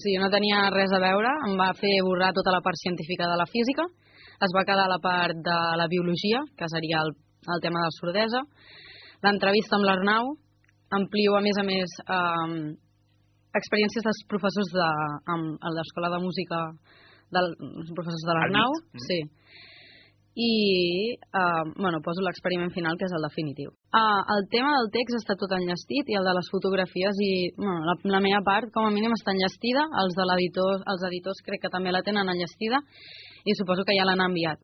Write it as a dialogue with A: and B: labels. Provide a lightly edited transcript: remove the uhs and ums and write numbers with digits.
A: sigui, no tenia res a veure, em va fer borrar tota la part científica de la física, es va quedar la part de la biologia, que seria el tema de la sordesa, l'entrevista amb l'Arnau, amplio a més experiències dels professors a l'escola de música dels professors de l'Arnau, sí. I poso l'experiment final, que és el definitiu. El tema del text està tot enllestit i el de les fotografies i la meva part com a mínim està enllestida, els editors crec que també la tenen enllestida i suposo que ja l'han enviat.